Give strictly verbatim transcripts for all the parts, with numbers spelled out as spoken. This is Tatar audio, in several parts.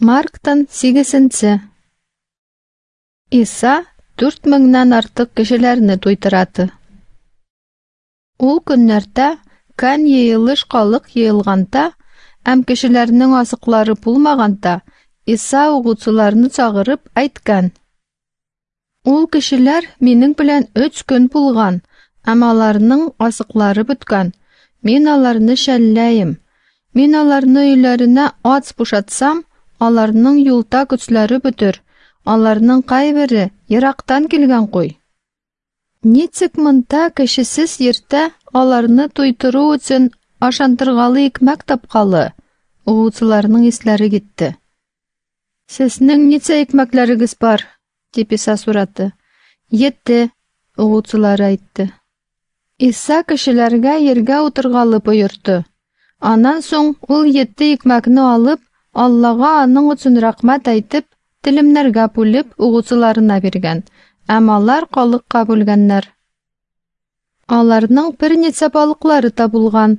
Марктан сигезенче. Иса дүрт меңнән артык кешеләрне туйтыраты. Ул көннәрдә кән йыелыш халык йыелганда, һәм кешеләрнең азыклары булмаганда, Иса укучыларны чагырып әйткән: Ул кешеләр минем белән өч көн булган, һәм аларның азыклары беткән. Мин аларны шәлләем. Мин аларны өйләренә ач бушатсам, аларның юлда көчләре бетер. Аларның кайбере ерактан килгән куй. Ничек монда кешесез йирдә аларны туйдыру өчен ашандыргалы икмәк тапкалы? Укучыларның исләре китте. Сезнең ничә икмәкләрегез бар? Дип Иса сорады. Ете, укучылары әйтте. Иса кешеләргә ергә утыргалы боерды. Аннан соң ул ете икмәкне алып, Аллага аның өчен рәхмәт әйтеп, телемнәргә бүлеп укучыларына биргән, һәм алар халыкка бүлгәннәр. Аларның берничә балыклары да булган.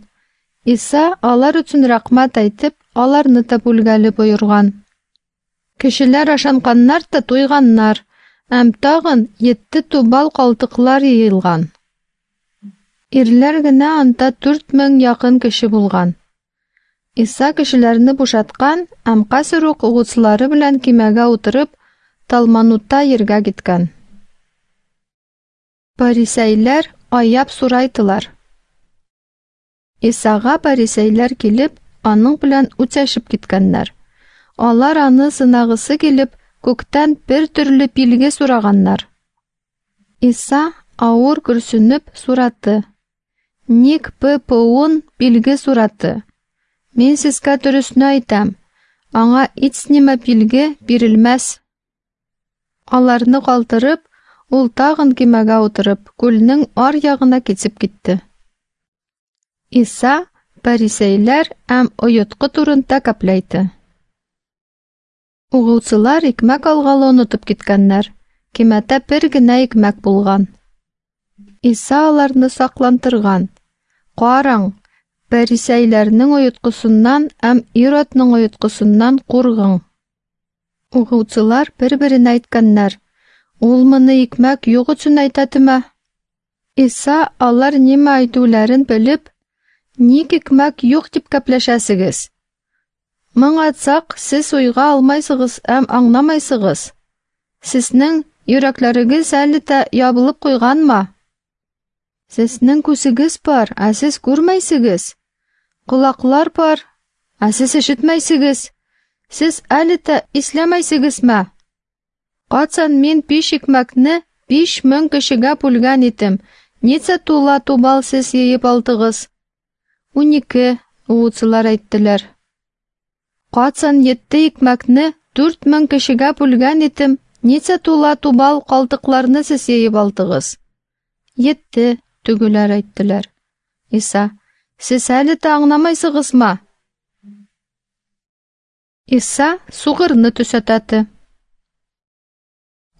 Иса алар өчен рәхмәт әйтеп, аларны да бүлгәле боерган. Кешеләр ашанганнар да туйганнар, һәм тагын ете тубал калдыклар йыелган. Ирләр генә анда дүрт мең якын кеше булган. Иса кешеләрне бушаткан һәм хәзер үк укучылары белән кимәгә утырып, Талманутта ергә киткән. Парисәйләр аяп сурайтылар. Исага парисәйләр килеп, аның белән үтәшеп киткәннәр. Алар аны сынагысы килеп, күктән бер төрле билге сораганнар. Иса авыр көрсенеп сураты. Ник ППУн билге сураты? Мин сезгә дөресне әйтәм, аңа һич нимә билге бирелмәс. Аларны калдырып, ул тагын кимәгә утырып, күлнең ар ягына китеп китте. Иса парисәйләр һәм оеткы турында кәпләйте. Укучылар икмәк алгалы онытып киткәннәр. Кимәдә бер генә икмәк булган. Иса аларны саклантырган. Караң, парисәйләрнең оеткысыннан һәм Иродның оеткысыннан кургың. Укучылар бер-беренә әйткәннәр: Ул моны икмәк юк өчен әйтәтеме? Иса алар нимә әйтүләрен белеп, ник икмәк юк дип кәпләшәсегез? Моң атсак, сез уйга алмайсыгыз һәм аңламайсыгыз. Сезнең йөрәкләрегез әле дә ябылып куйганмы? Сезнең күзегез бар, ә сез күрмәйсегез. Колаклар бар, ә сез ишетмәйсегез. Сез әле дә исләмәйсегезме? Качан мин биш икмәкне биш мең кешегә бүлгән идем, ничә тула тубал сез йыеп алдыгыз? Унике, укучылар әйттеләр. Качан ете икмәкне дүрт мең кешегә бүлгән идем, ничә тула тубал калдыкларны сез йыеп алдыгыз? Ете, тегеләр әйттеләр. Иса: Сез әле дә аңламайсыгызмы? Иса сугырны төсәтәте.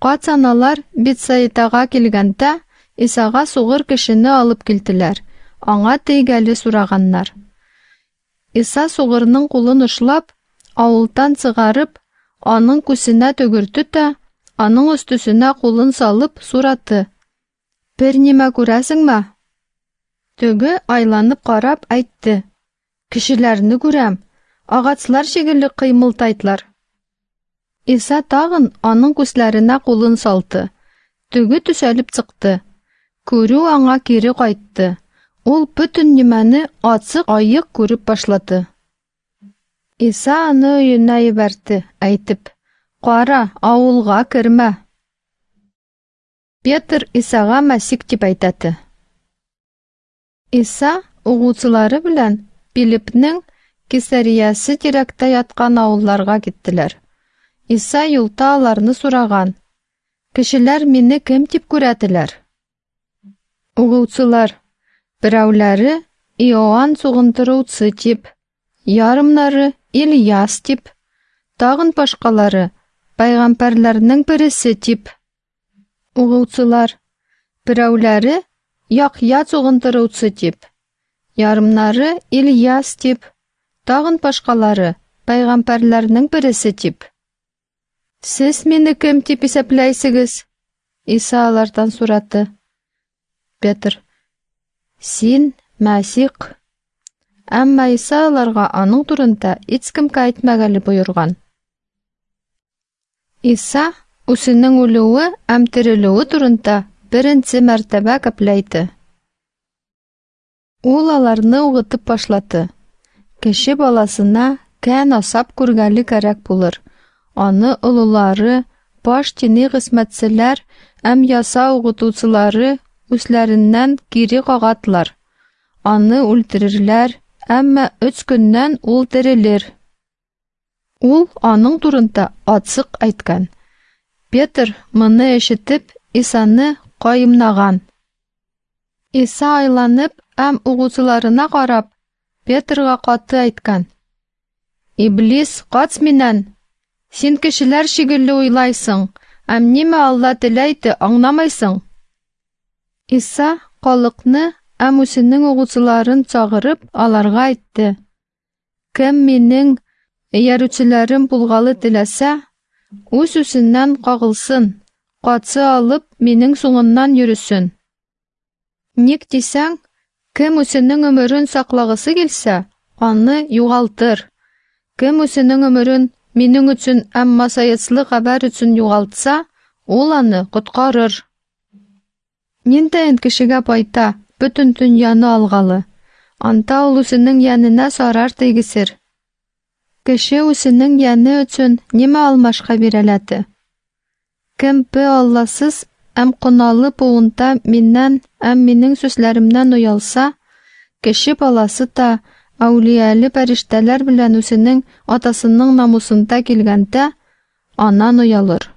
Качан алар Бетсаидага килгәндә, Исага сугыр кешене алып килделәр. Аңа тейгәле сораганнар. Иса сугырның кулын ушлап, авылдан чыгарып, аның күзенә төгерде дә, аның өстесенә кулын салып сураты. Бер нимә күрәсеңме? Теге айланып карап әйтте: Кешеләрне күрәм, агачлар шикелле кыймылдайлар. Иса тагын аның күзләренә кулын салды. Теге төсәлеп чыкты. Күрү аңа кире кайтты. Ул бөтен нимәне ачык аек күреп башлады. Иса аны өенә җибәрде, әйтеп: Кара, авылга кермә. Петр Исага Мәсих дип әйтәте. Иса укучылары белән Филиппның Кесариясе тирәктә яткан авылларга киттеләр. Иса юлда аларны сораган: Кешеләр мине кем дип күрәделәр? Укучылар: Берәүләре Иоанн сугындыручы дип, ярымнары Ильяс дип, тагын башкалары пәйгамбәрләрнең берсе дип. Укучылар: Берәүләре Яхъя сугындыручы дип, ярымнары Ильяс дип, тагын башкалары Пәйгамбәрләрнең бересе дип. Сез мине кем дип исәпләйсегез? Иса алардан сорады. Петр: Син Мәсих. Әмма Иса аларга аның турында һичкемгә әйтмәгәле боерган. Иса үзенең үлүе һәм терелүе турында беренче мәртәбә гәпләйде. Ул аларны угытып башлады. Кеше баласына кән асап күргәле кәрәк булыр. Аны олылары, баш дини хезмәтчеләр һәм яса укытучылары үзләреннән кире кагатлар. Аны үлтерерләр, әмма өч көннән ул терелер. Ул аның турында ачык әйткән. Петр моны ишетеп, Исаны каимнаган. Иса айланып һәм укучыларына карап, Петрга каты әйткән: Иблис, кач миннән! Син кешеләр шикелле уйлайсың, һәм нимә Алла теләйде аңламайсың. Иса халыкны һәм үзенең укучыларын чакырып, аларга әйтте: Кем минең иярүчеләрем булгалы теләсә, үз-үзеннән кагылсын, катсы алып, минең соңыннан йөресен. Ник дисәң, кем үзенең өмерен саклагысы килсә, аны югалтыр. Кем үзенең өмерен минең өчен һәм масаячлы хәбәр өчен югалтса, ул аны коткарыр. Ниндәен кешегә пайта бөтен дөньяны алгалы, анда ул үзенең янына зарар тигезер. Кеше үзенең яны өчен нимә алмашка бирәләде? Кем бе Алласыз һәм куналы буында миннән һәм минең сүзләремнән оялса, кеше баласы да әүлияле фәрештәләр белән үзенең атасының намусында килгәндә, аннан оялыр.